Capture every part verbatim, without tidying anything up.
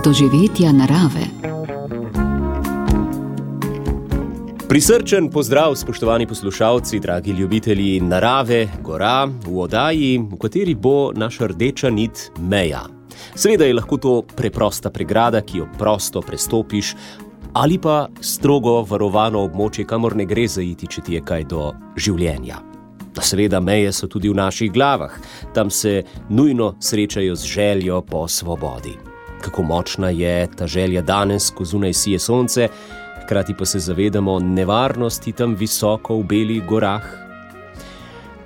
doživetja narave. Prisrčen pozdrav, spoštovani poslušalci, dragi ljubitelji narave, gora, v oddaji, v kateri bo naša rdeča nit meja. Seveda je lahko to preprosta pregrada, ki jo prosto prestopiš, ali pa strogo varovano območje, kamor ne gre zaiti, če ti je kaj do življenja. Seveda meje so tudi v naših glavah, tam se nujno srečajo z željo po svobodi. Kako močna je ta želja danes, ko zunaj sije sonce, hkrati pa se zavedamo nevarnosti tam visoko v belih gorah.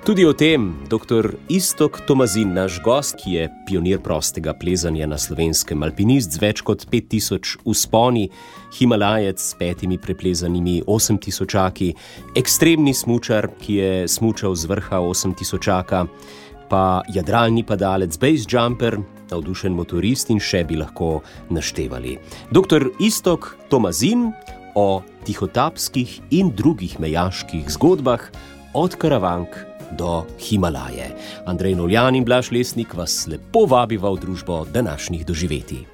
Tudi o tem doktor Iztok Tomazin, naš gost, ki je pionir prostega plezanja na Slovenskem, alpinist z več kot pet tisoč vzponi, himalajec s petimi preplezanimi osem tisočaki, ekstremni smučar, ki je smučal z vrha osem tisočaka, pa jadralni padalec, base jumper, navdušen motorist in še bi lahko naštevali. doktor Iztok Tomazin o tihotapskih in drugih mejaških zgodbah od Karavank do Himalaje. Andrej Noljan in Blaž Lesnik vas lepo vabiva v družbo današnjih doživetij.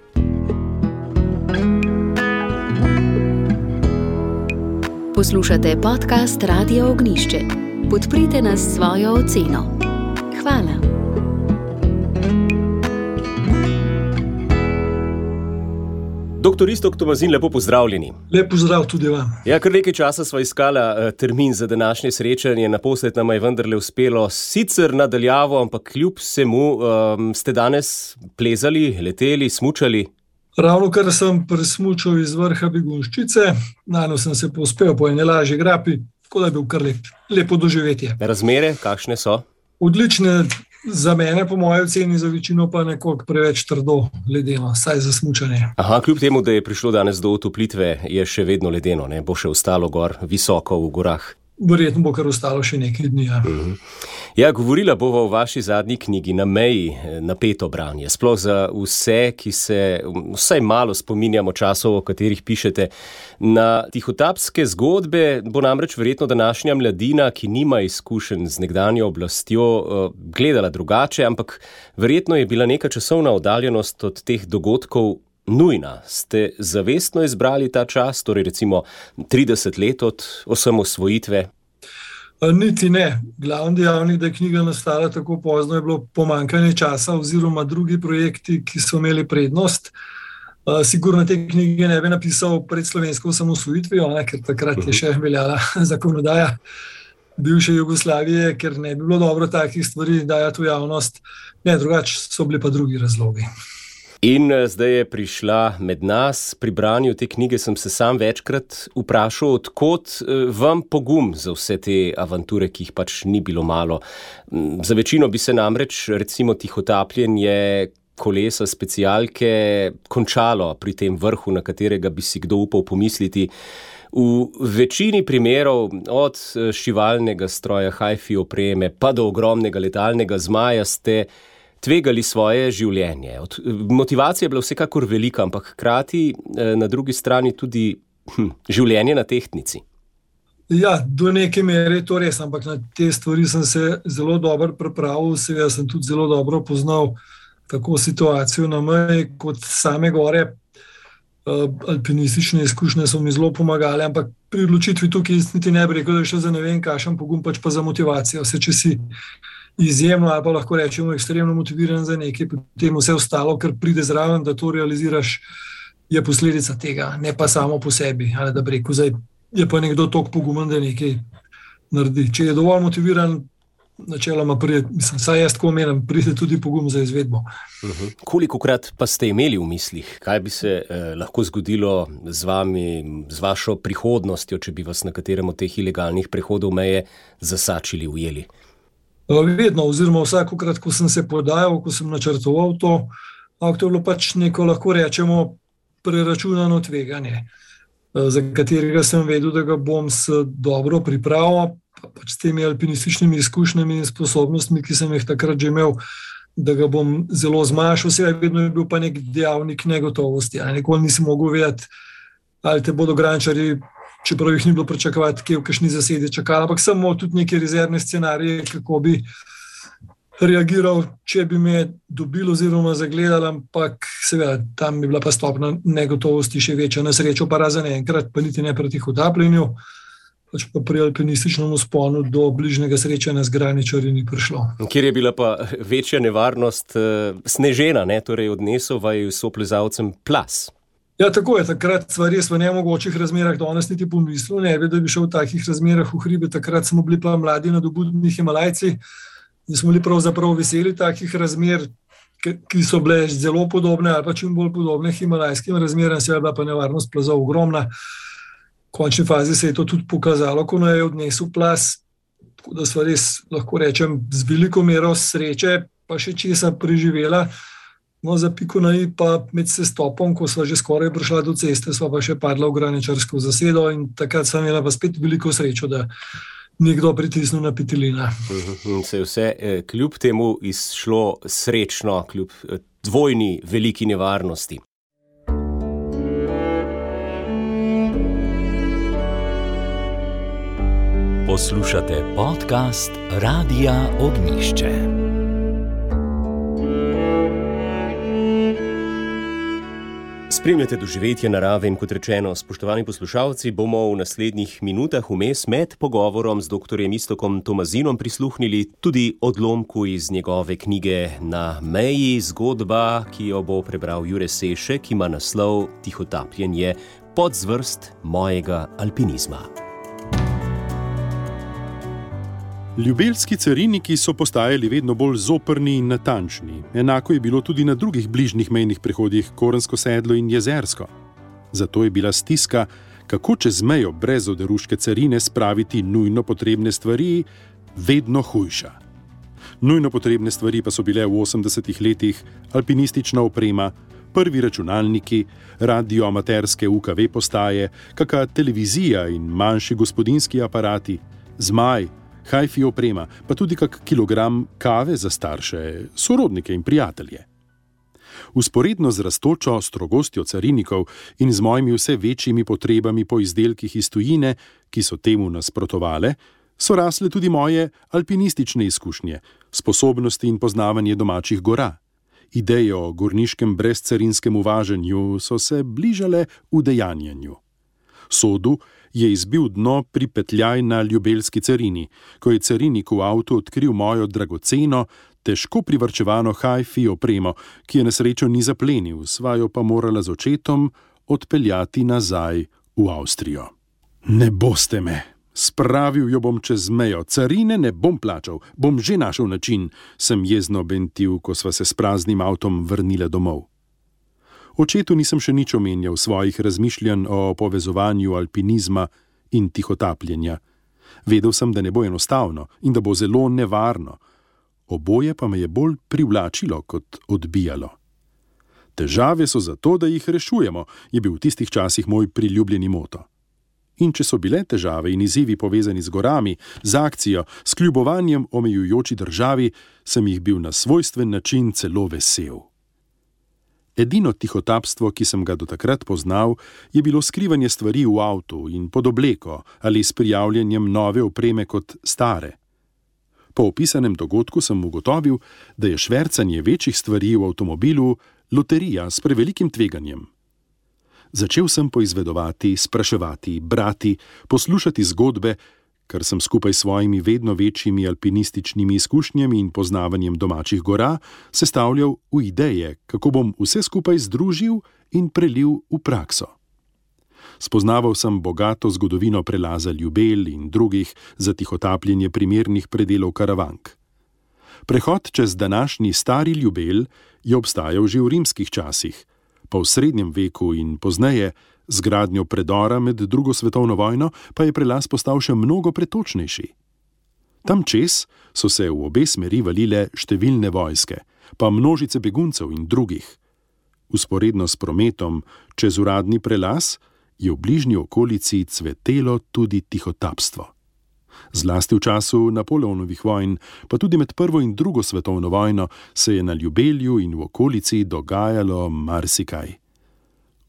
Poslušate podcast Radio Ognjišče. Podprite nas s svojo oceno. Hvala. doktor Iztok Tomazin, lepo pozdravljeni. Lep pozdrav tudi vam. Ja, kar nekaj časa sva iskala uh, termin za današnje srečanje, naposled nama je vendarle uspelo, sicer nadaljavo, ampak kljub vsemu, um, ste danes plezali, leteli, smučali? Ravno kar sem presmučal iz vrha Begunjščice, nano sem se povzpel po ene lažji grapi, tako da je bil kar lep, lepo doživetje. Razmere, kakšne so? Odlične, za mene po moji oceni, za večino pa nekoliko preveč trdo ledeno, saj za smučanje. Aha, kljub temu, da je prišlo danes do otoplitve, je še vedno ledeno, ne? Bo še ostalo gor, visoko v gorah? Verjetno bo kar ostalo še nekaj dni, ja. Uh-huh. Ja, govorila bova v vaši zadnji knjigi Na meji, napeto branje. Sploh za vse, ki se vsaj malo spominjamo časov, o katerih pišete. Na tihotapske zgodbe bo namreč verjetno današnja mladina, ki nima izkušenj z nekdanjo oblastjo, gledala drugače, ampak verjetno je bila neka časovna oddaljenost od teh dogodkov nujna. Ste zavestno izbrali ta čas, torej recimo trideset let od osamosvojitve? Niti ne. Glavni dejavnik, da je knjiga nastala tako pozno, je bilo pomanjkanje časa oziroma drugi projekti, ki so imeli prednost. Sigurno te knjige ne bi napisal pred slovensko osamosvojitvijo, ker takrat je še veljala zakonodaja bivše Jugoslavije, ker ne bi bilo dobro takih stvari dajati v javnost. Ne, drugače so bili pa drugi razlogi. In zdaj je prišla med nas. Pri branju te knjige sem se sam večkrat vprašal, odkot vam pogum za vse te avanture, ki jih pač ni bilo malo. Za večino bi se namreč recimo tihotapljenje kolesa specialke končalo pri tem vrhu, na katerega bi si kdo upal pomisliti. V večini primerov, od šivalnega stroja, hi-fi opreme, pa do ogromnega letalnega zmaja, ste tvegali svoje življenje. Motivacija je bila vsekakor velika, ampak hkrati na drugi strani tudi hm, življenje na tehtnici. Ja, do neke mere je to res, ampak na te stvari sem se zelo dobro pripravil, seveda sem tudi zelo dobro poznal tako situacijo na meji kot same gore. Alpinistične izkušnje so mi zelo pomagale, ampak pri odločitvi tukaj niti ne bi rekel, da je šlo za ne vem kakšen pogum, pač pa za motivacijo. Vse, če si izjemno ali pa lahko rečemo ekstremno motiviran za nekaj, potem vse ostalo, kar pride zraven, da to realiziraš, je posledica tega, ne pa samo po sebi. Ali da bi rekel, zdaj je pa nekdo toliko pogumen, da nekaj naredi. Če je dovolj motiviran, načeloma pride, mislim, saj jaz tako menim, pride tudi pogum za izvedbo. Uh-huh. Kolikokrat pa ste imeli v mislih, kaj bi se eh, lahko zgodilo z vami, z vašo prihodnostjo, če bi vas na katerem od teh ilegalnih prehodov meje zasačili, ujeli? Vedno, oziroma vsakokrat, ko sem se podajal, ko sem načrtoval to, ampak to je bilo pač neko, lahko rečemo, preračunano tveganje, za katerega sem vedel, da ga bom s dobro pripravil, pa pač s temi alpinističnimi izkušnjami in sposobnostmi, ki sem jih takrat že imel, da ga bom zelo zmanjšal. Vse vedno je bil pa nek dejavnik negotovosti. Nikoli nisi mogel vedeti, ali te bodo grančarji, čeprav jih ni bilo pričakovati, kje v kakšni zasedi čakali, ampak samo tudi neke rezervne scenarije, kako bi reagiral, če bi me dobil oziroma zagledal, ampak seveda tam bi bila pa stopna negotovosti še večja. Na srečo pa razen enkrat, pa niti ne pri tihotapljenju, pač pa pri alpinističnem vzponu do bližnjega srečanja z graničarji ni prišlo. Kjer je bila pa večja nevarnost uh, snežena, ne? Torej odnesel vaju soplezalcem plaz. Ja, tako je, takrat sva res v nemogočih razmerah, danes niti pomislil, ne bi, da bi šel v takih razmerah v hribe, takrat smo bili pa mladi nadobudni Himalajci in smo bili pravzaprav veseli takih razmer, ki so bile zelo podobne ali pa čim bolj podobne himalajskim razmeram, se je bila pa nevarnost plazov ogromna. V končni fazi se je to tudi pokazalo, ko je odnesel plaz, tako da sva res, lahko rečem, z veliko mero sreče pa še česa preživela. No, za piko na i pa med sestopom, ko sva že skoraj prišla do ceste, sva pa še padla v graničarsko zasedo in takrat sva imela pa spet veliko srečo, da nekdo pritisnil na petelina. In se je vse kljub temu izšlo srečno, kljub dvojni veliki nevarnosti. Poslušate podcast Radia Ognišče. Spremljate doživetje narave in kot rečeno, spoštovani poslušalci, bomo v naslednjih minutah vmes med pogovorom z doktorjem Iztokom Tomazinom prisluhnili tudi odlomku iz njegove knjige Na meji, zgodba, ki jo bo prebral Jure Sešek, ki ima naslov Tihotapljenje, podzvrst mojega alpinizma. Ljubelski cariniki so postajali vedno bolj zoprni in natančni. Enako je bilo tudi na drugih bližnjih mejnih prehodih Korensko sedlo in Jezersko. Zato je bila stiska, kako čez mejo brez oderuške carine spraviti nujno potrebne stvari, vedno hujša. Nujno potrebne stvari pa so bile v osemdesetih letih alpinistična oprema, prvi računalniki, radioamaterske U K V postaje, kaka televizija in manjši gospodinjski aparati, zmaj, hi-fi oprema, pa tudi kak kilogram kave za starše, sorodnike in prijatelje. Usporedno z rastočo strogostjo carinikov in z mojimi vse večjimi potrebami po izdelkih iz tujine, ki so temu nasprotovale, so rasle tudi moje alpinistične izkušnje, sposobnosti in poznavanje domačih gora. Ideje o gorniškem brezcarinskem uvaženju so se bližale udejanjanju. Sodu je izbil dno pripetljaj na ljubelski carini, ko je carinik v avtu odkril mojo dragoceno, težko privarčevano hi-fi opremo, ki je na srečo ni zaplenil, sva jo pa morala z očetom odpeljati nazaj v Avstrijo. Ne boste me, spravil jo bom čez mejo, carine ne bom plačal, bom že našel način, sem jezno bentil, ko sva se s praznim avtom vrnila domov. Očetu nisem še nič omenjal svojih razmišljanj o povezovanju alpinizma in tihotapljenja. Vedel sem, da ne bo enostavno in da bo zelo nevarno. Oboje pa me je bolj privlačilo kot odbijalo. Težave so zato, da jih rešujemo, je bil v tistih časih moj priljubljeni moto. In če so bile težave in izzivi povezani z gorami, z akcijo, s kljubovanjem omejujoči državi, sem jih bil na svojstven način celo vesel. Edino tihotapstvo, ki sem ga do takrat poznal, je bilo skrivanje stvari v avtu in pod obleko ali s prijavljanjem nove opreme kot stare. Po opisanem dogodku sem ugotovil, da je švercanje večjih stvari v avtomobilu loterija s prevelikim tveganjem. Začel sem poizvedovati, spraševati, brati, poslušati zgodbe, kar sem skupaj s svojimi vedno večjimi alpinističnimi izkušnjami in poznavanjem domačih gora sestavljal v ideje, kako bom vse skupaj združil in prelil v prakso. Spoznaval sem bogato zgodovino prelaza Ljubelj in drugih za tihotapljenje primernih predelov Karavank. Prehod čez današnji stari Ljubelj je obstajal že v rimskih časih, pa v srednjem veku in pozneje, z gradnjo predora med drugo svetovno vojno, pa je prelaz postal še mnogo pretočnejši. Tam čez so se v obe smeri valile številne vojske, pa množice beguncev in drugih. Vzporedno s prometom čez uradni prelaz je v bližnji okolici cvetelo tudi tihotapstvo. Zlasti v času Napoleonovih vojn, pa tudi med prvo in drugo svetovno vojno, se je na Ljubelju in v okolici dogajalo marsikaj.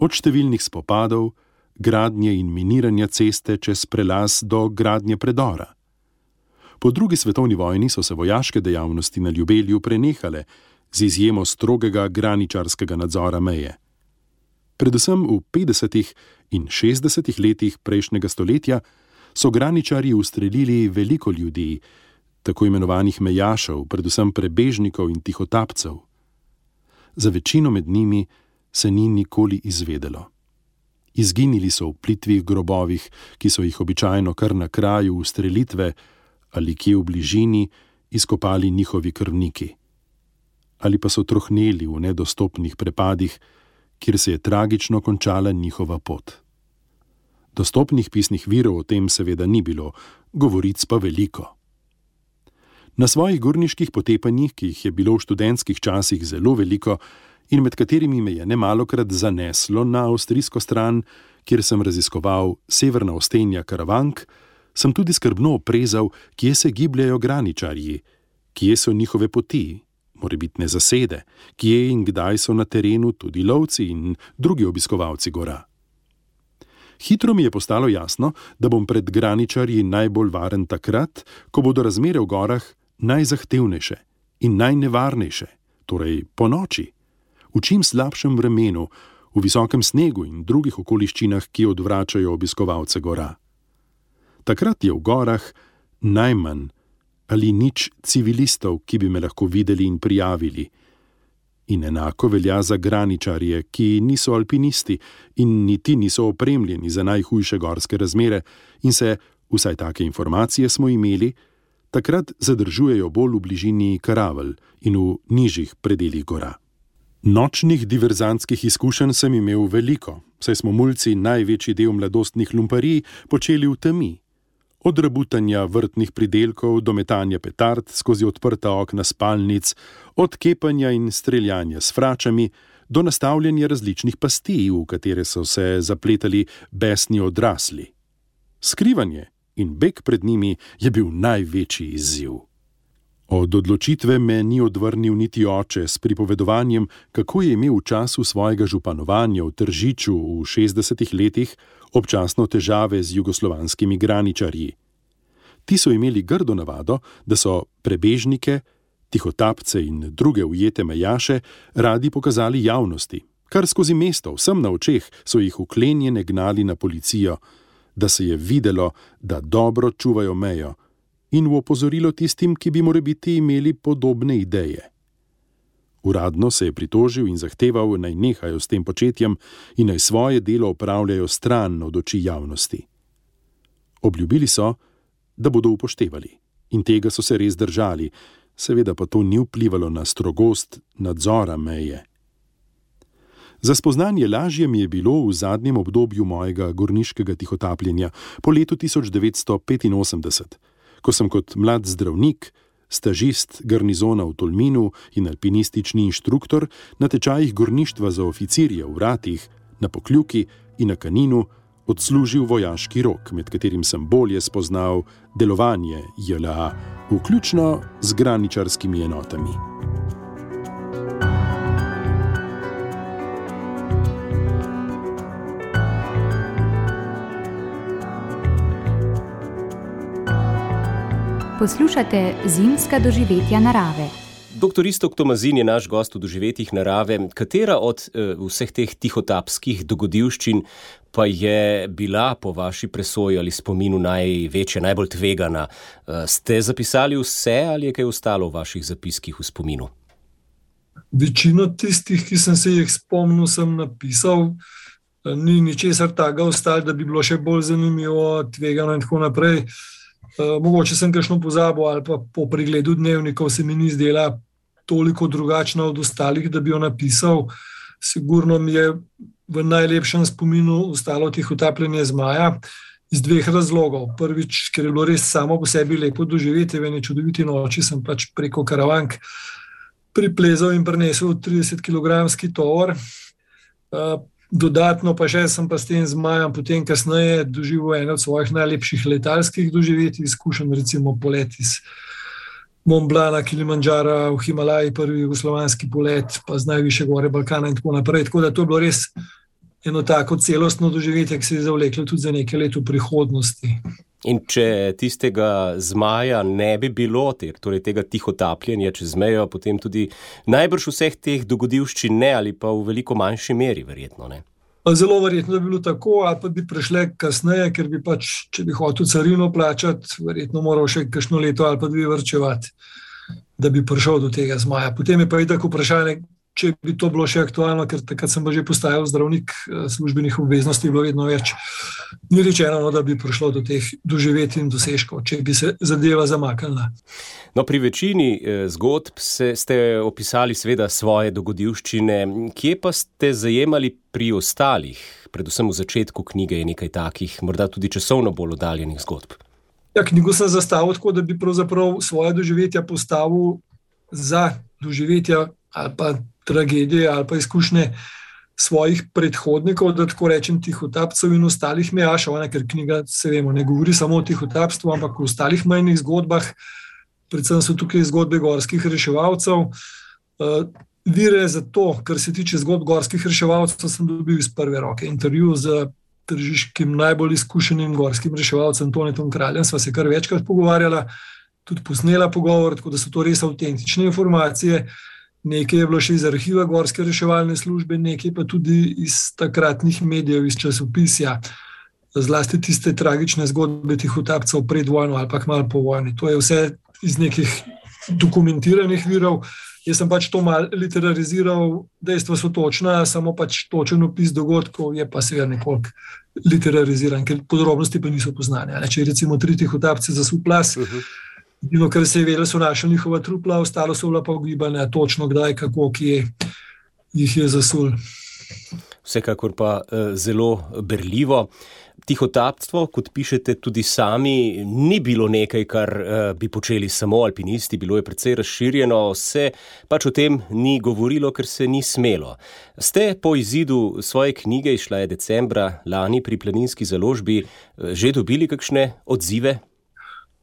Od številnih spopadov, gradnje in miniranja ceste čez prelaz do gradnje predora. Po drugi svetovni vojni so se vojaške dejavnosti na Ljubelju prenehale, z izjemo strogega graničarskega nadzora meje. Predvsem v petdesetih in šestdesetih letih prejšnjega stoletja so graničarji ustrelili veliko ljudi, tako imenovanih mejašev, predvsem prebežnikov in tihotapcev. Za večino med njimi se ni nikoli izvedelo. Izginili so v plitvih grobovih, ki so jih običajno kar na kraju ustrelitve ali kje v bližini izkopali njihovi krvniki. Ali pa so trohneli v nedostopnih prepadih, kjer se je tragično končala njihova pot. Dostopnih pisnih virov o tem seveda ni bilo, govoric pa veliko. Na svojih gorniških potepanjih, ki jih je bilo v študentskih časih zelo veliko in med katerimi me je nemalokrat zaneslo na avstrijsko stran, kjer sem raziskoval severna ostenja Karavank, sem tudi skrbno oprezal, kje se gibljajo graničarji, kje so njihove poti, morebitne zasede, kje in kdaj so na terenu tudi lovci in drugi obiskovalci gora. Hitro mi je postalo jasno, da bom pred graničarji najbolj varen takrat, ko bodo razmere v gorah najzahtevnejše in najnevarnejše, torej po noči, v čim slabšem vremenu, v visokem snegu in drugih okoliščinah, ki odvračajo obiskovalce gora. Takrat je v gorah najmanj ali nič civilistov, ki bi me lahko videli in prijavili. In enako velja za graničarje, ki niso alpinisti in niti niso opremljeni za najhujše gorske razmere in se, vsaj take informacije smo imeli, takrat zadržujejo bolj v bližini Karavel in v nižjih predelih gora. Nočnih diverzantskih izkušenj sem imel veliko, saj smo mulci največji del mladostnih lumparij počeli v temi. Od rabutanja vrtnih pridelkov do metanja petard skozi odprta okna spalnic, od kepanja in streljanja s fračami do nastavljanja različnih pasti, v katere so se zapletali besni odrasli. Skrivanje in beg pred njimi je bil največji izziv. Od odločitve me ni odvrnil niti oče s pripovedovanjem, kako je imel v času svojega županovanja v Tržiču v šestdesetih letih občasno težave z jugoslovanskimi graničarji. Ti so imeli grdo navado, da so prebežnike, tihotapce in druge ujete mejaše radi pokazali javnosti. Kar skozi mesto, vsem na očeh, so jih vklenjene gnali na policijo, da se je videlo, da dobro čuvajo mejo, in v opozorilo tistim, ki bi morebiti imeli podobne ideje. Uradno se je pritožil in zahteval, naj nehajo s tem početjem in naj svoje delo opravljajo stran od oči javnosti. Obljubili so, da bodo upoštevali, in tega so se res držali, seveda pa to ni vplivalo na strogost nadzora meje. Za spoznanje lažje mi je bilo v zadnjem obdobju mojega gorniškega tihotapljenja po letu tisoč devetsto petinosemdeset, ko sem kot mlad zdravnik, stažist garnizona v Tolminu in alpinistični inštruktor na tečajih gorništva za oficirje v Ratih, na Pokljuki in na Kaninu odslužil vojaški rok, med katerim sem bolje spoznal delovanje J L A, vključno z graničarskimi enotami. Poslušate Zimska doživetja narave. Doktor Iztok Tomazin je naš gost v doživetjih narave. Katera od uh, vseh teh tihotapskih dogodivščin pa je bila po vaši presoji ali spominu največja, najbolj tvegana? Uh, ste zapisali vse ali je kaj ostalo v vaših zapiskih v spominu? Večino tistih, ki sem se jih spomnil, sem napisal. Ni ničesar takega ostalo, da bi bilo še bolj zanimivo, tvegano in tako naprej. Uh, mogoče sem kakšno pozabil ali pa po pregledu dnevnikov se mi ni zdela toliko drugačna od ostalih, da bi jo napisal. Sigurno mi je v najlepšem spominu ostalo tihotapljenje zmaja iz dveh razlogov. Prvič, ker je bilo res samo po sebi lepo doživeti, v eni čudoviti noči sem pač preko Karavank priplezal in prinesel tridesetkilogramski tovor. Uh, Dodatno pa še sem pa s tem zmajem potem kasneje doživel eno od svojih najlepših letalskih doživetij, izkušen recimo polet iz Mont Blana, Kilimandžara v Himalaji, prvi jugoslovanski polet, pa z najvišje gore Balkana in tako naprej. Tako da to je bilo res eno tako celostno doživetje, ki se je zavleklo tudi za nekaj let v prihodnosti. In če tistega zmaja ne bi bilo, torej tega tihotapljenja čez mejo, potem tudi najbrž vseh teh dogodivščin ne, ali pa v veliko manjši meri, verjetno ne. Zelo verjetno, da bi bilo tako, ali pa bi prišle kasneje, ker bi pač, če bi hotel carino plačati, verjetno moral še kakšno leto ali pa dve varčevati, da bi prišel do tega zmaja. Potem je pa itak vprašanje, če bi to bilo še aktualno, ker takrat sem pa že postajal zdravnik, službenih obveznosti je bilo vedno več. Ni rečeno, da bi prišlo do teh doživetij in dosežkov, če bi se zadeva zamaknila. No, pri večini zgodb se, ste opisali seveda svoje dogodivščine. Kje pa ste zajemali pri ostalih? Predvsem v začetku knjige je nekaj takih, morda tudi časovno bolj oddaljenih zgodb. Ja, knjigo sem zastavil tako, da bi pravzaprav svoje doživetja postavil za doživetja ali pa tragedije ali pa izkušnje svojih predhodnikov, da tako rečem tihotapcev in ostalih mejašev, ker knjiga, se vemo, ne govori samo o tihotapstvu, ampak o ostalih majhnih zgodbah, predvsem so tukaj zgodbe gorskih reševalcev. Vire za to, kar se tiče zgodb gorskih reševalcev, sem dobil iz prve roke. Intervju z tržiškim najbolj izkušenim gorskim reševalcem Tonetom Kraljem sva se kar večkrat pogovarjala, tudi posnela pogovor, tako da so to res avtentične informacije. Nekaj je bilo še iz arhiva Gorske reševalne službe, nekaj pa tudi iz takratnih medijev, iz časopisja, zlasti tiste tragične zgodbe tihotapcev pred vojno ali pa malo po vojni. To je vse iz nekih dokumentiranih virov. Jaz sem pač to malo literariziral, dejstva so točna, samo pač točen opis dogodkov je pa seveda nekoliko literariziran, ker podrobnosti pa niso poznane. Če recimo tri tihotapce zasul plaz, Dino, kar se je vedelo, so našli njihova trupla, ostalo so bila pa ugibanja, točno kdaj, kako, kje jih je zasul. Vsekakor pa zelo berljivo. Tihotapstvo, kot pišete tudi sami, ni bilo nekaj, kar bi počeli samo alpinisti, bilo je precej razširjeno, se pač o tem ni govorilo, ker se ni smelo. Ste po izidu svoje knjige, izšla je decembra lani pri Planinski založbi, že dobili kakšne odzive?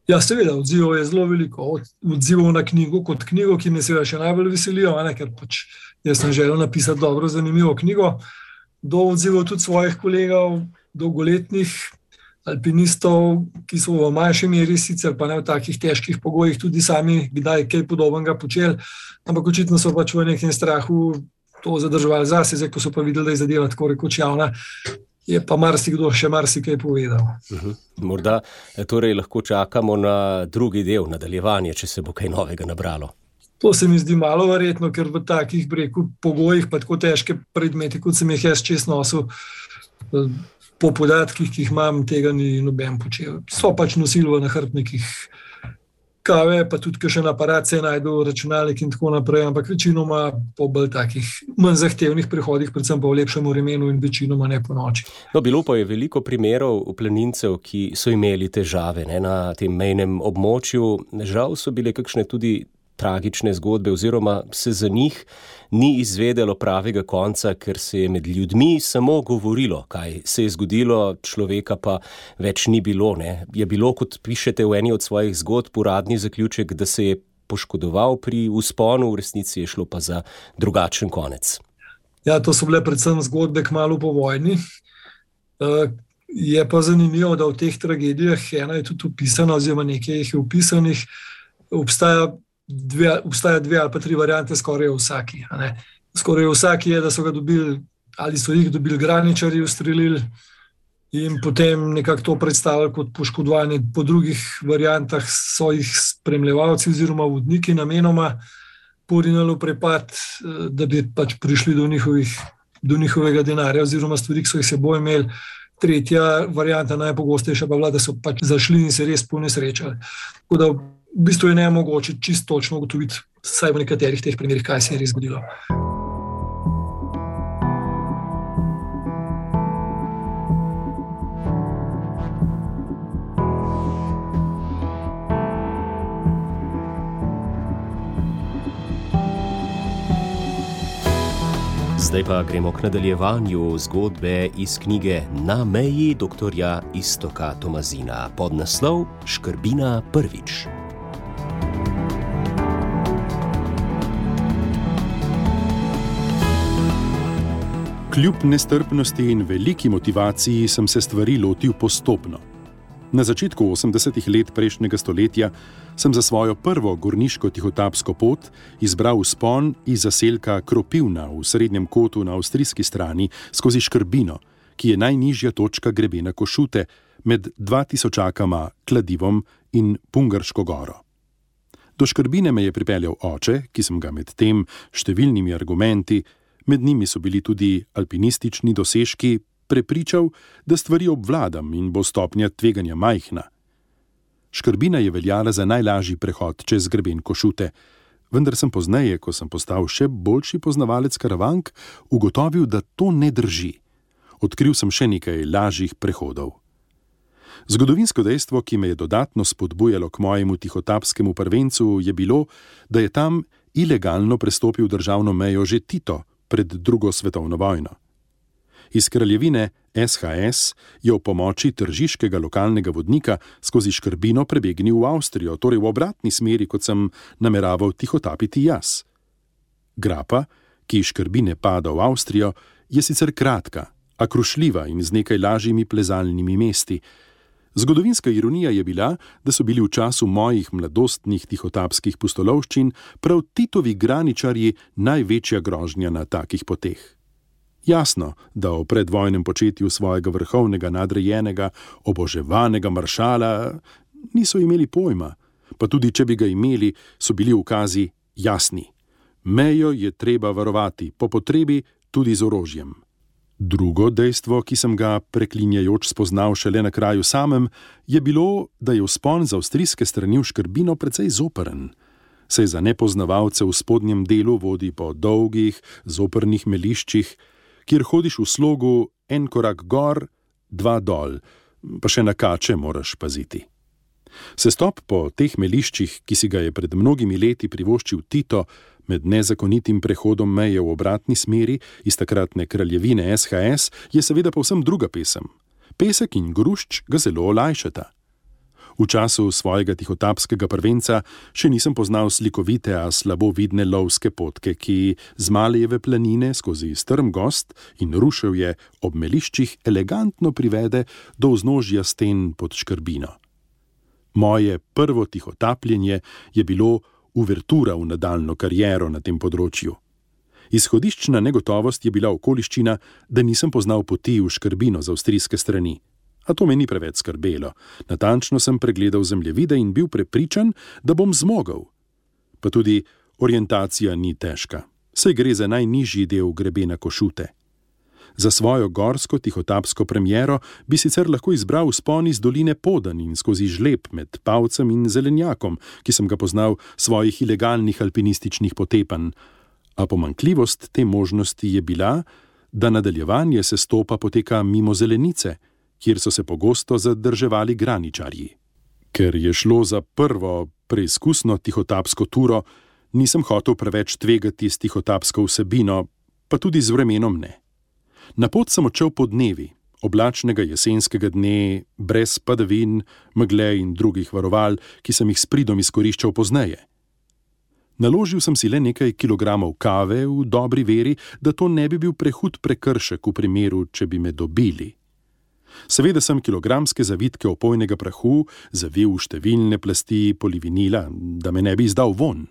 Ja, seveda, odzivov je zelo veliko. Odzivov na knjigo kot knjigo, ki me seveda še najbolj veselijo, ne, ker pač jaz sem želel napisati dobro, zanimivo knjigo. Do odzivov tudi svojih kolegov, dolgoletnih alpinistov, ki so v manjši meri sicer pa ne v takih težkih pogojih tudi sami kdaj kaj podobnega počeli, ampak očitno so pač v nekem strahu to zadrževali zase, zdaj ko so pa videli, da je zadeva tako rekoč javna, je pa marsikdo še marsikaj povedal. Uh-huh. Morda torej lahko čakamo na drugi del, nadaljevanje, če se bo kaj novega nabralo. To se mi zdi malo verjetno, ker v takih breku pogojih pa tako težke predmeti, kot sem jih jaz čez nosil, po podatkih, ki jih imam, tega ni noben počel. So pač nosili v nahrbtnikih kave, pa tudi kakšen aparat se najdu, računalnik in tako naprej, ampak večinoma po bolj takih manj zahtevnih prehodih, predvsem pa v lepšem vremenu in večinoma ne po noči. No, bilo pa je veliko primerov planincev, ki so imeli težave ne, na tem mejnem območju. Žal so bile kakšne tudi tragične zgodbe oziroma se za njih ni izvedelo pravega konca, ker se je med ljudmi samo govorilo, kaj se je zgodilo, človeka pa več ni bilo. Ne. Je bilo, kot pišete v eni od svojih zgodb, uradni zaključek, da se je poškodoval pri vzponu, v resnici je šlo pa za drugačen konec. Ja, to so bile predvsem zgodbe kmalu po vojni. Je pa zanimivo, da v teh tragedijah ena je tudi opisana, oziroma nekaj jih je opisanih, obstaja Dve, obstaja dve ali pa tri variante skoraj v vsaki. Skoraj v vsaki je, da so ga dobili ali so jih dobili graničarji, ustrelili in potem nekako to predstavili kot poškodovanje. Po drugih variantah so jih spremljevalci oziroma vodniki namenoma porinili v prepad, da bi pač prišli do, njihovih, do njihovega denarja oziroma stvari, ki so jih seboj imeli. Tretja varianta, najpogostejša pa bila, da so pač zašli in se res ponesrečali. Tako da v bistvu je nemogoče čisto točno ugotoviti, vsaj v nekaterih teh primerih, kaj se je res zgodilo. Zdaj pa gremo k nadaljevanju zgodbe iz knjige Na meji doktorja Iztoka Tomazina pod naslov Škrbina prvič. Kljub nestrpnosti in veliki motivaciji sem se stvari lotil postopno. Na začetku osemdesetih let prejšnjega stoletja sem za svojo prvo gorniško tihotapsko pot izbral vzpon iz zaselka Kropivna v srednjem kotu na avstrijski strani skozi Škrbino, ki je najnižja točka grebena Košute med dva tisočakama Kladivom in Pungarško goro. Do Škrbine me je pripeljal oče, ki sem ga med tem številnimi argumenti, med njimi so bili tudi alpinistični dosežki, prepričal, da stvari obvladam in bo stopnja tveganja majhna. Škrbina je veljala za najlažji prehod čez greben Košute, vendar sem pozneje, ko sem postal še boljši poznavalec Karavank, ugotovil, da to ne drži. Odkril sem še nekaj lažjih prehodov. Zgodovinsko dejstvo, ki me je dodatno spodbujalo k mojemu tihotapskemu prvencu, je bilo, da je tam ilegalno prestopil državno mejo že Tito pred drugo svetovno vojno. Iz kraljevine S H S je ob pomoči tržiškega lokalnega vodnika skozi Škrbino prebegnil v Avstrijo, torej v obratni smeri, kot sem nameraval tihotapiti jaz. Grapa, ki iz Škrbine pada v Avstrijo, je sicer kratka, a krušljiva in z nekaj lažjimi plezalnimi mesti. Zgodovinska ironija je bila, da so bili v času mojih mladostnih tihotapskih pustolovščin prav Titovi graničarji največja grožnja na takih poteh. Jasno, da o predvojnem početju svojega vrhovnega nadrejenega, oboževanega maršala niso imeli pojma, pa tudi če bi ga imeli, so bili ukazi jasni. Mejo je treba varovati, po potrebi tudi z orožjem. Drugo dejstvo, ki sem ga preklinjajoč spoznal šele na kraju samem, je bilo, da je vzpon z avstrijske strani v Škrbino precej zoperen. Saj za nepoznavalce v spodnjem delu vodi po dolgih, zoprnih meliščih, kjer hodiš v slogu en korak gor, dva dol, pa še na kače moraš paziti. Sestop po teh meliščih, ki si ga je pred mnogimi leti privoščil Tito, med nezakonitim prehodom meje v obratni smeri iz takratne kraljevine S H S, je seveda povsem druga pesem. Pesek in grušč ga zelo olajšata. V času svojega tihotapskega prvenca še nisem poznal slikovite, a slabo vidne lovske potke, ki z Malejeve planine skozi strm gost in ruševje ob meliščih elegantno privede do vznožja sten pod Škrbino. Moje prvo tihotapljenje je bilo uvertura v nadaljno kariero na tem področju. Izhodiščna negotovost je bila okoliščina, da nisem poznal poti v Škrbino z avstrijske strani. A to me ni preveč skrbelo. Natančno sem pregledal zemljevide in bil prepričan, da bom zmogel. Pa tudi orientacija ni težka. Saj gre za najnižji del grebena Košute. Za svojo gorsko tihotapsko premiero bi sicer lahko izbral vzpon iz doline Podan in skozi žleb med Pavcem in Zelenjakom, ki sem ga poznal svojih ilegalnih alpinističnih potepanj. A pomanjkljivost te možnosti je bila, da nadaljevanje sestopa poteka mimo Zelenice, kjer so se pogosto zadrževali graničarji. Ker je šlo za prvo preizkusno tihotapsko turo, nisem hotel preveč tvegati s tihotapsko vsebino, pa tudi z vremenom ne. Na pot sem odšel po dnevi, oblačnega jesenskega dne, brez padavin, megle in drugih varoval, ki sem jih s pridom izkoriščal pozneje. Naložil sem si le nekaj kilogramov kave v dobri veri, da to ne bi bil prehud prekršek v primeru, če bi me dobili. Seveda sem kilogramske zavitke opojnega prahu zavil v številne plasti polivinila, da me ne bi izdal von.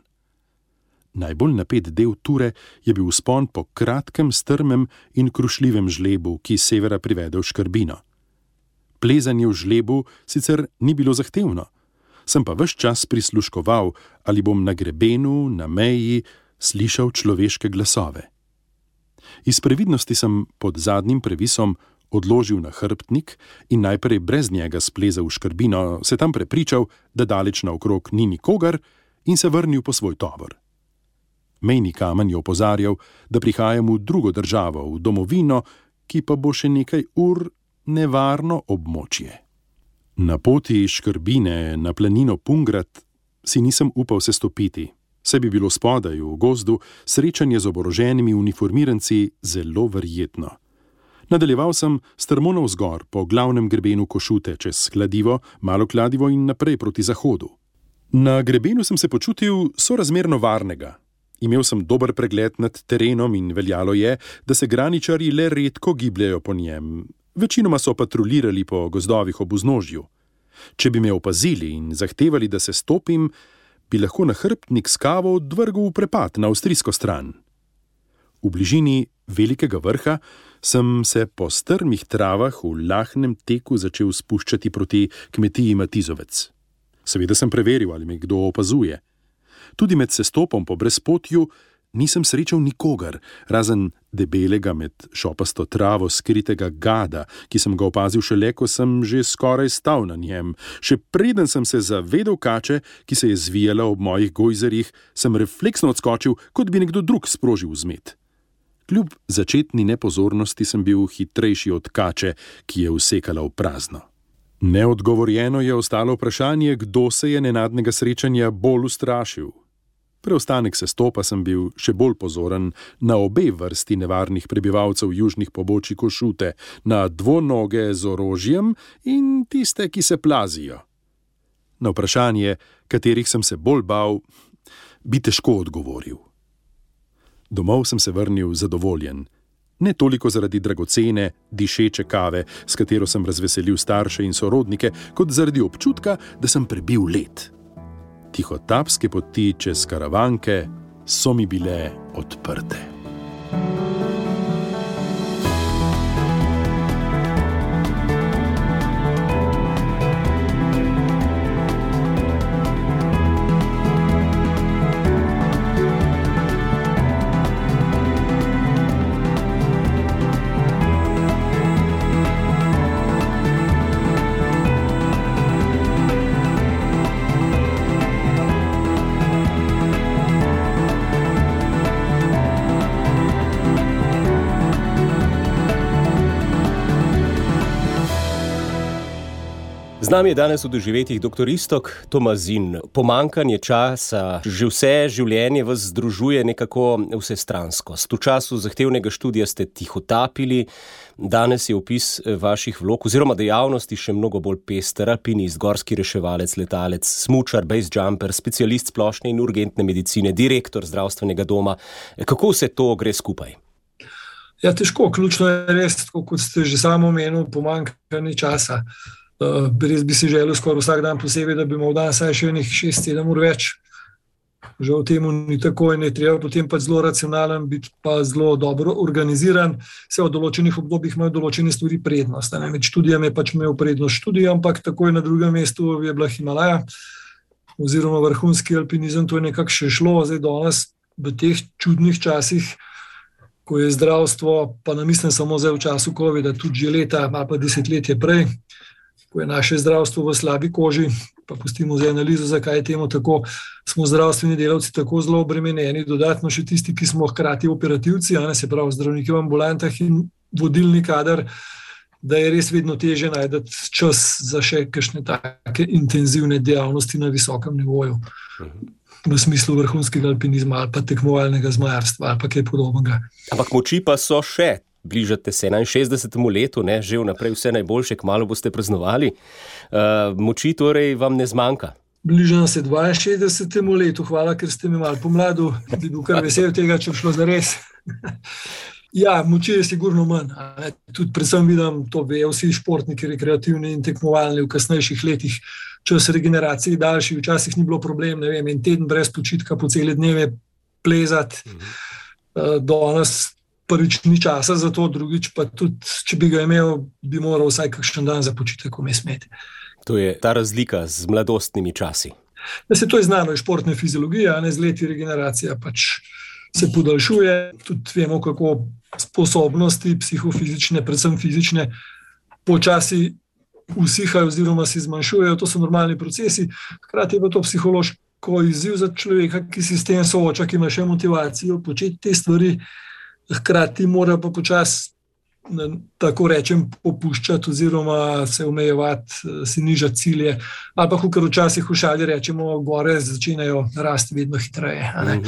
Najbolj napet del ture je bil vzpon po kratkem, strmem in krušljivem žlebu, ki s severa privede v Škrbino. Plezanje v žlebu sicer ni bilo zahtevno, sem pa ves čas prisluškoval, ali bom na grebenu, na meji, slišal človeške glasove. Iz previdnosti sem pod zadnjim previsom odložil na hrbtnik in najprej brez njega splezal v Škrbino, se tam prepričal, da daleč naokrog ni nikogar, in se vrnil po svoj tovor. Mejni kamen je opozarjal, da prihajam v drugo državo, v domovino, ki pa bo še nekaj ur nevarno območje. Na poti iz Škrbine na planino Pungrat si nisem upal se stopiti, saj bi bilo spodaj v gozdu srečanje z oboroženimi uniformiranci zelo verjetno. Nadaljeval sem strmo navzgor po glavnem grebenu Košute čez Kladivo, Malo Kladivo in naprej proti zahodu. Na grebenu sem se počutil sorazmerno varnega. Imel sem dober pregled nad terenom in veljalo je, da se graničarji le redko gibljajo po njem. Večinoma so patrulirali po gozdovih ob vznožju. Če bi me opazili in zahtevali, da se stopim, bi lahko nahrbtnik s kavo odvrgel v prepad na avstrijsko stran. V bližini velikega vrha sem se po strmih travah v lahnem teku začel spuščati proti kmetiji Matizovec. Seveda sem preveril, ali me kdo opazuje. Tudi med sestopom po brezpotju nisem srečal nikogar, razen debelega med šopasto travo skritega gada, ki sem ga opazil šele, ko sem že skoraj stal na njem. Še preden sem se zavedel kače, ki se je zvijala ob mojih gojzerjih, sem refleksno odskočil, kot bi nekdo drug sprožil vzmet. Kljub začetni nepozornosti sem bil hitrejši od kače, ki je usekala v prazno. Neodgovorjeno je ostalo vprašanje, kdo se je nenadnega srečanja bolj ustrašil. Preostanek sestopa sem bil še bolj pozoren na obe vrsti nevarnih prebivalcev južnih pobočij Košute, na dvonoge z orožjem in tiste, ki se plazijo. Na vprašanje, katerih sem se bolj bal, bi težko odgovoril. Domov sem se vrnil zadovoljen. Ne toliko zaradi dragocene, dišeče kave, s katero sem razveselil starše in sorodnike, kot zaradi občutka, da sem prebil let. Tihotapske poti čez Karavanke so mi bile odprte. Z nami je danes v doživetjih doktor Iztok Tomazin. Pomanjkanje časa, že vse življenje vas združuje nekako vsestranskost. V času zahtevnega študija ste tihotapili, danes je opis vaših vlog oziroma dejavnosti še mnogo bolj pester, alpinist, gorski reševalec, letalec, smučar, base jumper, specialist splošne in urgentne medicine, direktor zdravstvenega doma. Kako vse to gre skupaj? Ja, težko, ključno je res, kot ste že samo omenili, pomanjkanje časa. Uh, res bi si želel skoraj vsak dan posebej, da bi imel dan saj še enih šest sedem ur več. Žal temu ni tako in je treba potem pa zelo racionalen, biti pa zelo dobro organiziran. Se v določenih obdobjih imajo določene stvari prednost. Ne? Med študijami je pač imel prednost študija, ampak takoj na drugem mestu je bila Himalaja oziroma vrhunski alpinizem, to je nekako še šlo. Zdaj danes v teh čudnih časih, ko je zdravstvo, pa ne mislim samo zdaj v času covida, tudi že leta, ali pa desetletje prej, ko je naše zdravstvo v slabi koži, pa pustimo za analizo, zakaj je temu tako, smo zdravstveni delavci tako zelo obremenjeni, dodatno še tisti, ki smo hkrati operativci, a ne, se pravi zdravniki v ambulantah in vodilni kader, da je res vedno težje najti čas za še kakšne take intenzivne dejavnosti na visokem nivoju, v smislu vrhunskega alpinizma ali pa tekmovalnega zmajarstva ali pa kaj podobnega. Ampak moči pa so še. Bližate se enainšestdesetemu letu, ne? Že vnaprej vse najboljše, kmalu boste praznovali. Uh, moči torej vam ne zmanjka? Bližam se dvainšestdesetemu letu, hvala, ker ste me malo pomladil, bi bil kar vesel tega, če bi šlo zares. Ja, moči je sigurno manj. Tudi predvsem vidim, to vejo vsi športniki, rekreativni in tekmovalni v kasnejših letih, čas regeneracije daljši, včasih ni bilo problem, ne vem, en teden brez počitka po cele dneve plezati, uh, danes prvič ni časa za to, drugič pa tudi, če bi ga imel, bi moral vsaj kakšen dan za počitek vmes imeti. To je ta razlika z mladostnimi časi. Da se to je znano iz športne fizilogije, a ne z leti regeneracija pač se podaljšuje, tudi vemo, kako sposobnosti psihofizične, predvsem fizične, počasi usihajo oziroma se zmanjšujejo, to so normalni procesi, hkrati je pa to psihološko izziv za človeka, ki se s tem sooča, ki ima še motivacijo početi te stvari, hkrati mora pa počasi, tako rečem, popuščati oziroma se omejevati, si nižati cilje, ali pa kakor včasih v šali rečemo, gore začenjajo rasti vedno hitreje. A ne?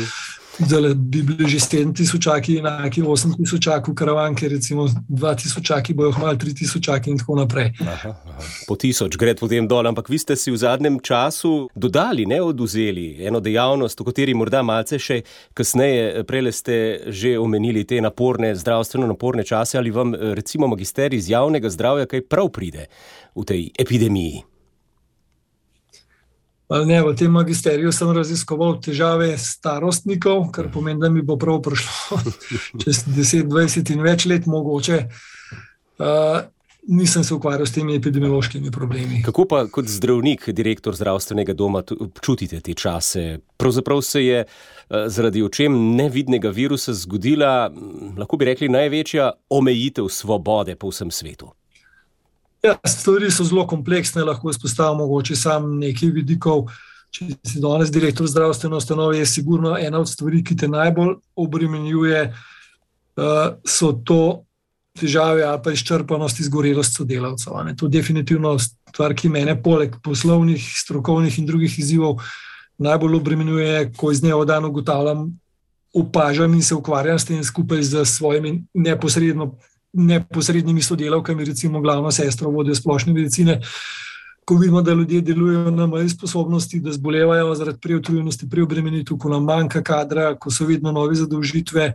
Zdaj bi bili že sedem tisočaki, enaki osem tisočakov Karavanke, recimo dva tisočaki bojo hmalo tri tisočaki in tako naprej. Aha, aha. Po tisoč gre potem dol, ampak vi ste si v zadnjem času dodali, ne oduzeli, eno dejavnost, o kateri morda malce še kasneje, prejle ste že omenili te naporne, zdravstveno naporne čase, ali vam recimo magister iz javnega zdravja kaj prav pride v tej epidemiji? Ne, v tem magisteriju sem raziskoval težave starostnikov, kar pomeni, da mi bo prav prišlo čez deset, dvajset in več let mogoče. Uh, nisem se ukvarjal s temi epidemiološkimi problemi. Kako pa kot zdravnik, direktor zdravstvenega doma, čutite te čase? Pravzaprav se je zaradi očem nevidnega virusa zgodila, lahko bi rekli, največja omejitev svobode po vsem svetu. Ja, stvari so zelo kompleksne, lahko izpostavim mogoče sam nekaj vidikov. Če si danes direktor zdravstvene ustanove, je sigurno ena od stvari, ki te najbolj obremenjuje, so to težave ali pa izčrpanost, izgorelost sodelavcev. To je definitivno stvar, ki mene poleg poslovnih, strokovnih in drugih izzivov najbolj obremenjuje, ko iz dneva v dan ugotavljam, opažam in se ukvarjam s tem skupaj z svojimi neposredno neposrednimi sodelavkami, recimo glavno sestro vodjo splošne medicine, ko vidimo, da ljudje delujejo na meji sposobnosti, da zbolevajo zaradi preutrujenosti, preobremenitev, ko nam manjka kadra, ko so vedno nove zadolžitve.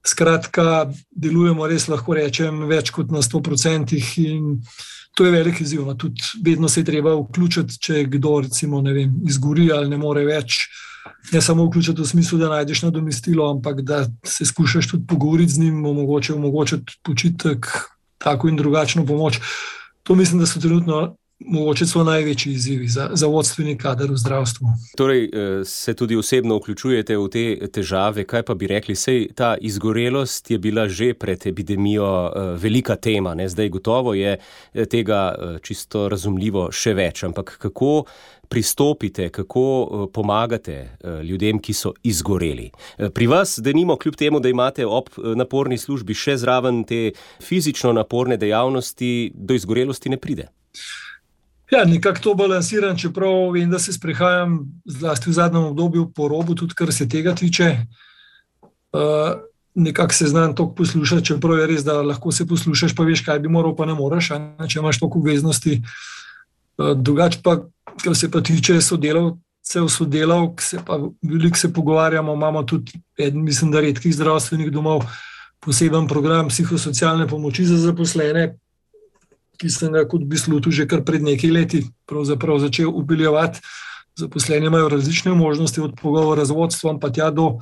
Skratka, delujemo res, lahko rečem, več kot na sto procentih in to je velik izziv. Tudi vedno se je treba vključiti, če kdo recimo, ne vem, izgori ali ne more več. Ne samo vključiti v smislu, da najdeš nadomestilo, ampak da se skušaš tudi pogovoriti z njim, omogoče, omogočiti počitek, tako in drugačno pomoč. To mislim, da so trenutno mogoče so največji izzivi za, za vodstveni kader v zdravstvu. Torej, se tudi osebno vključujete v te težave, kaj pa bi rekli, sej ta izgorelost je bila že pred epidemijo velika tema, ne? Zdaj gotovo je tega čisto razumljivo še več, ampak kako pristopite, kako pomagate ljudem, ki so izgoreli? Pri vas, denimo, kljub temu, da imate ob naporni službi še zraven te fizično naporne dejavnosti, do izgorelosti ne pride? Ja, nekako to balansiram, čeprav vem, da se sprehajam zlasti v zadnjem obdobju po robu, tudi kar se tega tiče. Uh, nekako se znam toliko poslušati, čeprav je res, da lahko se poslušaš, pa veš, kaj bi moral, pa ne moreš, če imaš toliko obveznosti. Uh, drugače pa, kar se pa tiče sodelavcev, sodelavk, se pa veliko se pogovarjamo, imamo tudi eden, mislim, da redkih zdravstvenih domov, poseben program psihosocialne pomoči za zaposlene, ki sem ga kot bi slutil že kar pred nekaj leti pravzaprav začel upeljevati. Zaposleni imajo različne možnosti od pogovora z vodstvom, pa tja do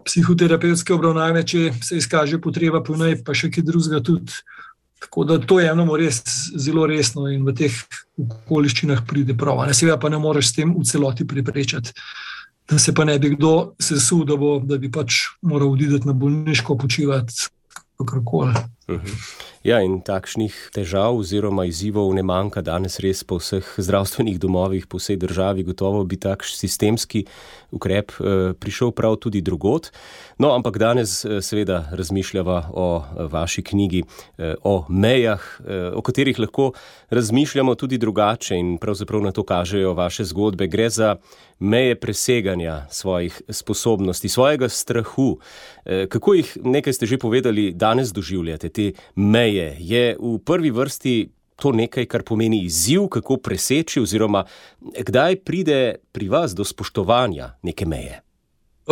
psihoterapevtske obravnave, če se izkaže potreba po njej, pa še kaj drugega tudi. Tako da to jemljamo res zelo resno in v teh okoliščinah pride prav. Seveda pa ne moreš s tem v celoti preprečati, da se pa ne bi kdo sesul, da, bo, da bi pač moral odideti na bolniško, počivati kakorkoli. Ja, in takšnih težav oziroma izzivov ne manjka danes res po vseh zdravstvenih domovih, po vsej državi, gotovo bi tak sistemski ukrep eh, prišel prav tudi drugod. No, ampak danes eh, seveda razmišljava o eh, vaši knjigi, eh, o mejah, eh, o katerih lahko razmišljamo tudi drugače in pravzaprav na to kažejo vaše zgodbe. Gre za meje preseganja svojih sposobnosti, svojega strahu. Eh, kako jih, nekaj ste že povedali, danes doživljate, te meje? Je v prvi vrsti to nekaj, kar pomeni izziv, kako preseči oziroma kdaj pride pri vas do spoštovanja neke meje?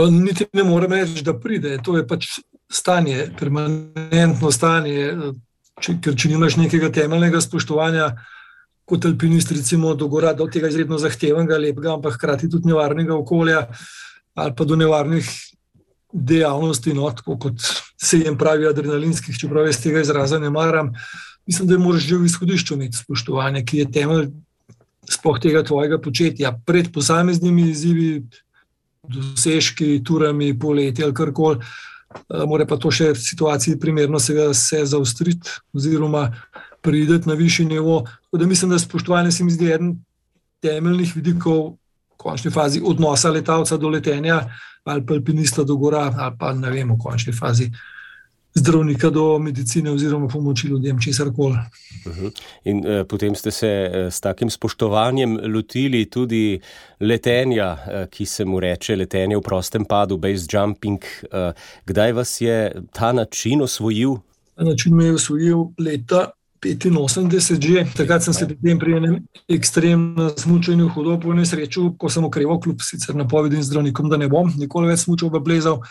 Niti ne morem reči, da pride. To je pač stanje, permanentno stanje, če, ker če nimaš nekega temeljnega spoštovanja, kot alpinist recimo do gora, do tega izredno zahtevnega, lepega, ampak hkrati tudi nevarnega okolja ali pa do nevarnih dejavnosti, no, tako kot se jim pravi adrenalinskih, čeprav jaz tega izraza ne maram. Mislim, da moraš že v izhodišču imeti spoštovanje, ki je temelj sploh tega tvojega početja. Pred posameznimi izzivi, dosežki, turami, poleti ali karkoli, mora pa to še v situaciji primerno se, se zaostriti oziroma prideti na višji nivo. Tako da mislim, da spoštovanje se mi zdi eden temeljnih vidikov v končni fazi odnosa letalca do letenja ali pa alpinista do gora, ali pa ne vem, v končni fazi zdravnika do medicine oziroma pomoči ljudem, česarkoli. Uh-huh. In eh, potem ste se eh, s takim spoštovanjem lotili tudi letenja, eh, ki se mu reče letenje v prostem padu, base jumping. Eh, kdaj vas je ta način osvojil? Ta način me je osvojil leta petinosemdeset že. Takrat sem se potem pri enem ekstremnem smučanju hudo po nesreču, ko sem okreval kljub sicer napovedim zdravnikom, da ne bom nikoli več smučal pa plezal.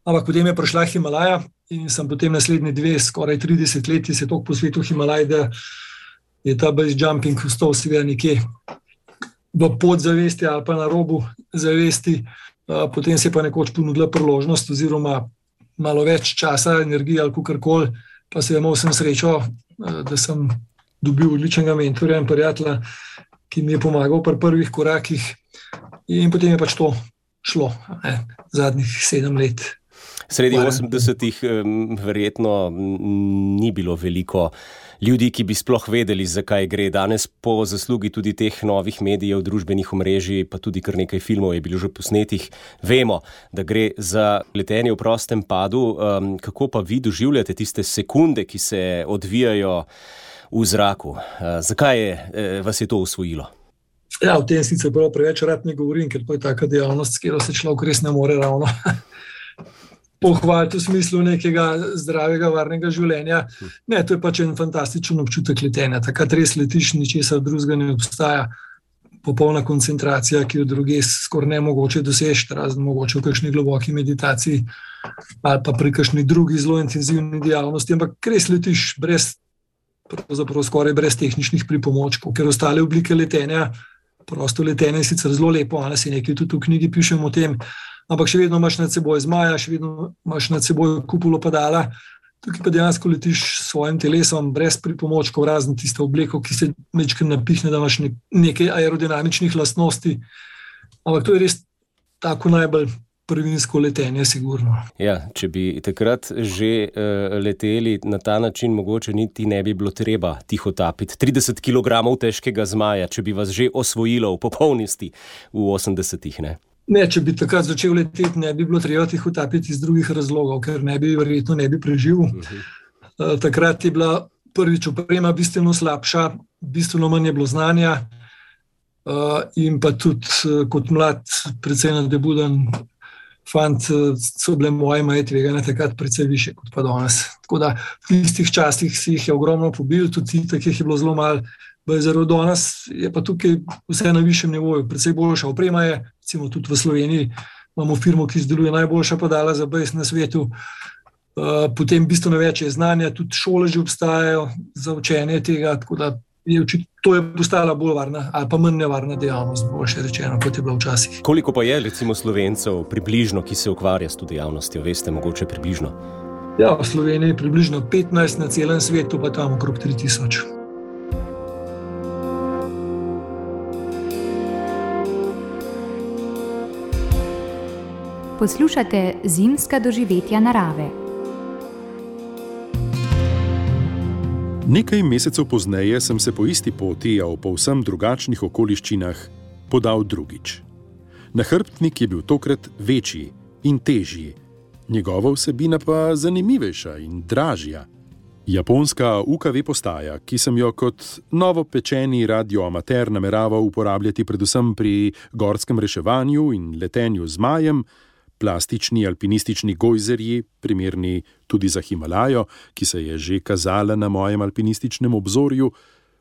Ampak potem je prišla Himalaja in sem potem naslednje dve, skoraj trideset let se toliko posvetil Himalaj, da je ta base jumping ostal seveda nekje v podzavesti ali pa na robu zavesti, potem se je pa nekoč ponudila priložnost oziroma malo več časa, energije ali kakorkoli, pa se je imel sem srečo, da sem dobil odličnega mentorja in prijatelja, ki mi je pomagal pri prvih korakih, in potem je pač to šlo, ne, zadnjih sedem let. Sredi osemdesetih verjetno ni bilo veliko ljudi, ki bi sploh vedeli, zakaj gre. Danes po zaslugi tudi teh novih medijev, družbenih omrežij, pa tudi kar nekaj filmov je bilo že posnetih, vemo, da gre za letenje v prostem padu. Kako pa vi doživljate tiste sekunde, ki se odvijajo v zraku? Zakaj je, vas je to osvojilo? Ja, v tem sicer prav preveč rad ne govorim, ker to je taka dejavnost, s katero se človek res ne more ravno pohvaliti v smislu nekega zdravega, varnega življenja. Ne, to je pač en fantastičen občutek letenja. Takrat res letiš, ničesar drugega ne obstaja. Popolna koncentracija, ki jo druge skoraj nemogoče doseči, razen mogoče v kakšni globoki meditaciji ali pa pri kakšni drugi zelo intenzivni dejavnosti, ampak res letiš brez, pravzaprav skoraj brez tehničnih pripomočkov, ker ostale oblike letenja, prosto letenje je sicer zelo lepo, ali si nekaj tudi v knjigi pišem o tem, ampak še vedno imaš nad seboj zmaja, še vedno imaš nad seboj kupulo padala, tukaj pa dejansko letiš s svojim telesom brez pripomočkov, razen tiste obleko, ki se mečkaj napihne, da imaš nekaj aerodinamičnih lastnosti, ampak to je res tako najbolj prvinsko letenje, sigurno. Ja, če bi takrat že uh, leteli na ta način, mogoče niti ne bi bilo treba tihotapiti trideset kilogramov težkega zmaja, če bi vas že osvojilo v popolnosti v osemdesetih, ne? Ne, če bi takrat začel leteti, ne bi bilo treba tihotapiti iz drugih razlogov, ker ne bi, verjetno ne bi preživel. Uh-huh. Takrat je bila prvič oprema bistveno slabša, bistveno manj je bilo znanja uh, in pa tudi kot mlad, precej nadebuden fant, so bile moje meje tveganja takrat precej više kot pa danes. Tako da v tistih časih si jih je ogromno pobil, tudi takih je bilo zelo malo. Zaradi danes je pa tukaj vse na višjem nivoju, precej boljša oprema je, recimo tudi v Sloveniji imamo firmo, ki izdeluje najboljša padala za bejs na svetu, potem bistveno več je znanja, tudi šole že obstajajo za učenje tega, tako da je očitno, to je postala bolj varna ali pa manj nevarna dejavnost, boljše rečeno, kot je bila včasih. Koliko pa je recimo Slovencev približno, ki se ukvarja s to dejavnostjo, veste, mogoče približno? Ja, v Sloveniji je približno petnajst, na celem svetu pa tam okrog tri tisoč. Poslušate Zimska doživetja narave. Nekaj mesecev pozneje sem se po isti poti, a v povsem drugačnih okoliščinah, podal drugič. Nahrbtnik je bil tokrat večji in težji, njegova vsebina pa zanimivejša in dražja. Japonska U K V postaja, ki sem jo kot novopečeni radioamater nameraval uporabljati predvsem pri gorskem reševanju in letenju z zmajem, plastični alpinistični gojzerji, primerni tudi za Himalajo, ki se je že kazala na mojem alpinističnem obzorju,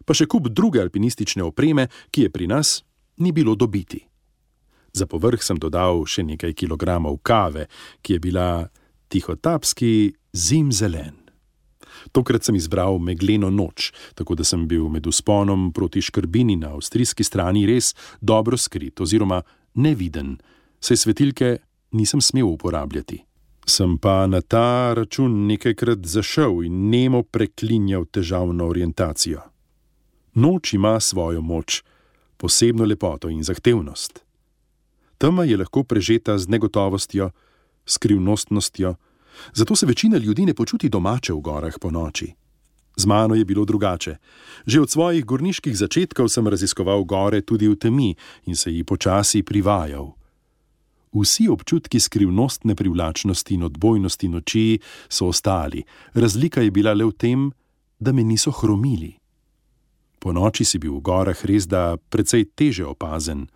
pa še kup druge alpinistične opreme, ki je pri nas ni bilo dobiti. Za povrh sem dodal še nekaj kilogramov kave, ki je bila tihotapski zimzelen. Tokrat sem izbral megleno noč, tako da sem bil med vzponom proti Škrbini na avstrijski strani res dobro skrit oziroma neviden, saj svetilke nisem smel uporabljati. Sem pa na ta račun nekajkrat zašel in nemo preklinjal težavno orientacijo. Noč ima svojo moč, posebno lepoto in zahtevnost. Tema je lahko prežeta z negotovostjo, skrivnostnostjo, zato se večina ljudi ne počuti domače v gorah po noči. Z mano je bilo drugače. Že od svojih gorniških začetkov sem raziskoval gore tudi v temi in se ji počasi privajal. Vsi občutki skrivnostne privlačnosti in odbojnosti noči so ostali, razlika je bila le v tem, da me niso hromili. Po noči si bil v gorah res da precej teže opazen,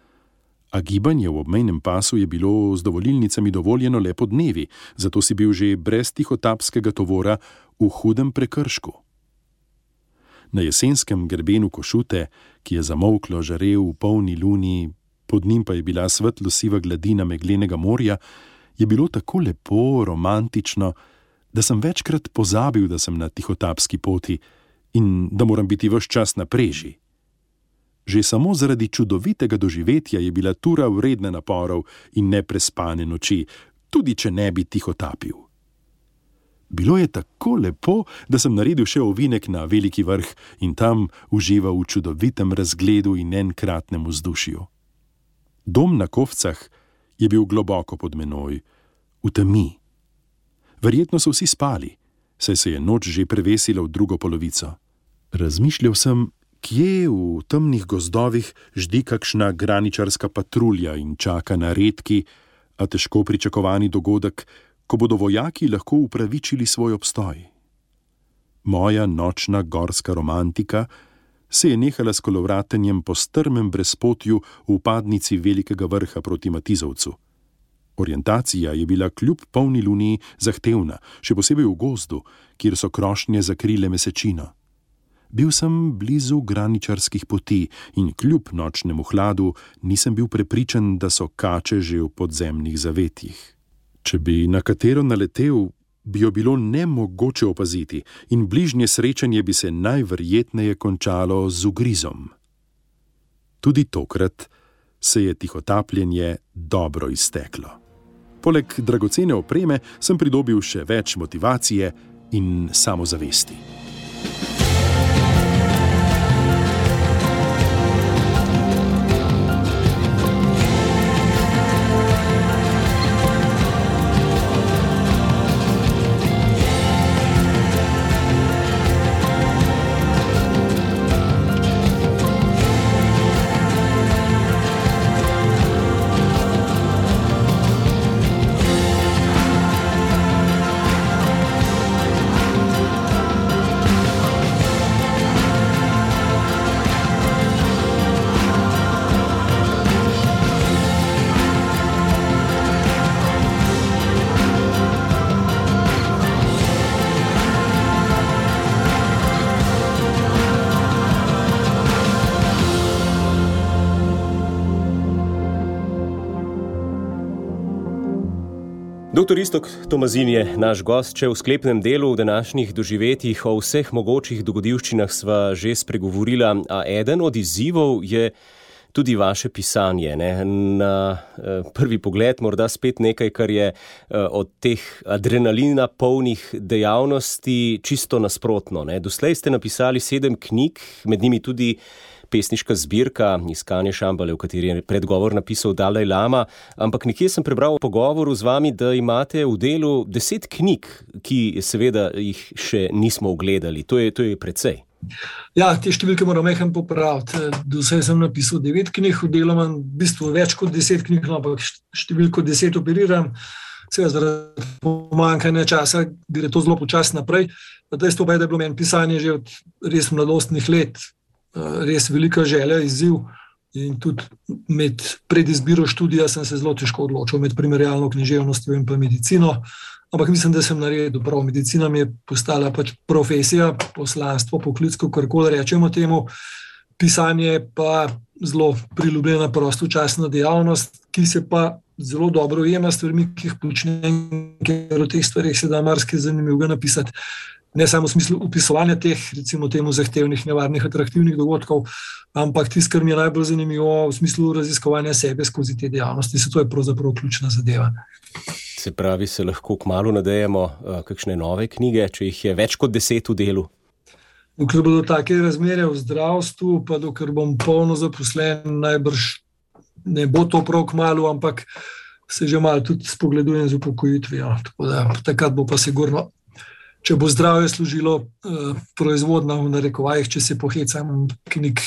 a gibanje v obmejnem pasu je bilo z dovolilnicami dovoljeno le po dnevi, zato si bil že brez tihotapskega tovora v hudem prekršku. Na jesenskem grebenu Košute, ki je zamolklo žarel v polni luni, pod njim pa je bila svetlo-siva gladina meglenega morja, je bilo tako lepo, romantično, da sem večkrat pozabil, da sem na tihotapski poti in da moram biti ves čas na preži. Že samo zaradi čudovitega doživetja je bila tura vredna naporov in neprespane noči, tudi če ne bi tihotapil. Bilo je tako lepo, da sem naredil še ovinek na veliki vrh in tam užival v čudovitem razgledu in enkratnem vzdušju. Dom na Kovcah je bil globoko pod menoj, v temi. Verjetno so vsi spali, saj se je noč že prevesila v drugo polovico. Razmišljal sem, kje v temnih gozdovih ždi kakšna graničarska patrulja in čaka na redki, a težko pričakovani dogodek, ko bodo vojaki lahko upravičili svoj obstoj. Moja nočna gorska romantika se je nehala s kolovratenjem po strmem brezpotju v upadnici velikega vrha proti Matizovcu. Orientacija je bila kljub polni luni zahtevna, še posebej v gozdu, kjer so krošnje zakrile mesečino. Bil sem blizu graničarskih poti in kljub nočnemu hladu nisem bil prepričan, da so kače že v podzemnih zavetjih. Če bi na katero naletel, bi jo bilo nemogoče opaziti in bližnje srečanje bi se najverjetneje končalo z ugrizom. Tudi tokrat se je tihotapljenje dobro izteklo. Poleg dragocene opreme sem pridobil še več motivacije in samozavesti. Doktor Iztok Tomazin je naš gost, če v sklepnem delu v današnjih doživetjih o vseh mogočih dogodivščinah sva že spregovorila, a eden od izzivov je tudi vaše pisanje. Ne? Na eh, prvi pogled morda spet nekaj, kar je eh, od teh adrenalina polnih dejavnosti čisto nasprotno. Ne? Doslej ste napisali sedem knjig, med njimi tudi pesniška zbirka Iskanje Šambale, v kateri je predgovor napisal Dalaj Lama, ampak nekje sem prebral v pogovoru z vami, da imate v delu deset knjig, ki seveda jih še nismo ogledali. To je, to je precej. Ja, te številke moram mehen popraviti. Doslej sem napisal devet knjig, v delu imam v bistvu več kot deset knjig, ampak številko deset operiram. Seveda zaradi pomanjkanja časa gre to zelo počasno naprej. Dejstvo pa je, da je bilo meni pisanje že od res mladostnih let res velika želja, izziv in tudi med predizbiro študija sem se zelo težko odločil med primerjalno književnostjo in pa medicino, ampak mislim, da sem naredil prav. Medicina mi je postala pač profesija, poslanstvo, poklic, karkoli rečemo temu, pisanje pa zelo priljubljena prostočasna dejavnost, ki se pa zelo dobro ujema s stvarmi, ki jih počnem, ker o teh stvarih se da marsikaj zanimivega napisati. Ne samo v smislu opisovanja teh, recimo temu zahtevnih, nevarnih, atraktivnih dogodkov, ampak tisto, kar mi je najbolj zanimivo v smislu raziskovanja sebe skozi te dejavnosti, se to je pravzaprav ključna zadeva. Se pravi, se lahko kmalu nadejamo uh, kakšne nove knjige, če jih je več kot deset v delu? Dokler bodo take razmere v zdravstvu, pa dokler bom polno zaposlen, najbrž ne bo to prav kmalu, ampak se že malo tudi spogledujem z upokojitvijo. Tako da takrat bo pa sigurno, če bo zdravje služilo uh, proizvodna v narekovajih, če se pohecam, knjig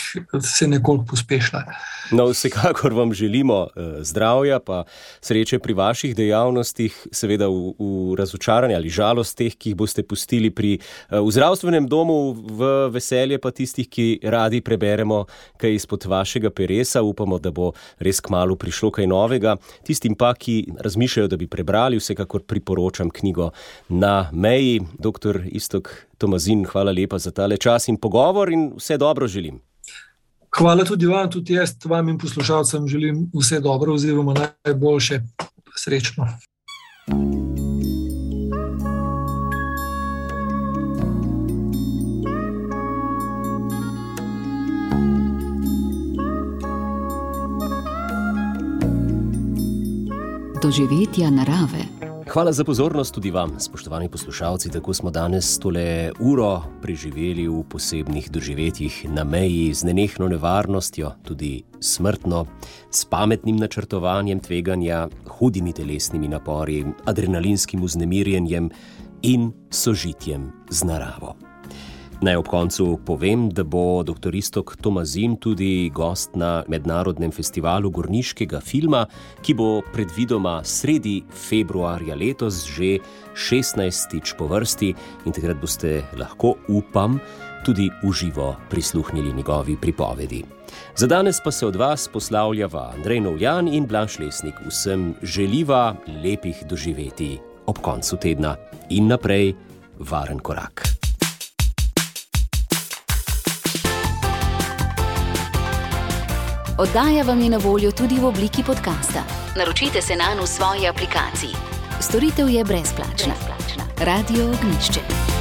se nekoliko pospešila. No, vsekakor vam želimo uh, zdravja, pa sreče pri vaših dejavnostih, seveda v, v razočaranje ali žalost teh, ki jih boste pustili pri uh, v zdravstvenem domu, v veselje pa tistih, ki radi preberemo kaj izpod vašega peresa. Upamo, da bo res kmalu prišlo kaj novega. Tistim pa, ki razmišljajo, da bi prebrali, vsekakor priporočam knjigo Na meji. Doktor Iztok Tomazin, hvala lepa za tale čas in pogovor in vse dobro želim. Hvala tudi vam, tudi jaz vam in poslušalcem želim vse dobro oziroma najboljše. Srečno. doživetja narave. Hvala za pozornost tudi vam, spoštovani poslušalci. Tako smo danes tole uro preživeli v posebnih doživetjih na meji z nenehno nevarnostjo, tudi smrtno, s pametnim načrtovanjem tveganja, hudimi telesnimi napori, adrenalinskim vznemirjenjem in sožitjem z naravo. Naj ob koncu povem, da bo doktor Iztok Tomazin tudi gost na Mednarodnem festivalu gorniškega filma, ki bo predvidoma sredi februarja letos že šestnajstič po vrsti in takrat boste lahko, upam, tudi v živo prisluhnili njegovi pripovedi. Za danes pa se od vas poslavljava Andrej Novljan in Blaž Lesnik. Vsem želiva lepih doživetij ob koncu tedna in naprej varen korak. Oddaja vam je na voljo tudi v obliki podcasta. Naročite se nanj v svoji aplikaciji. Storitev je brezplačna. Radio Ognjišče.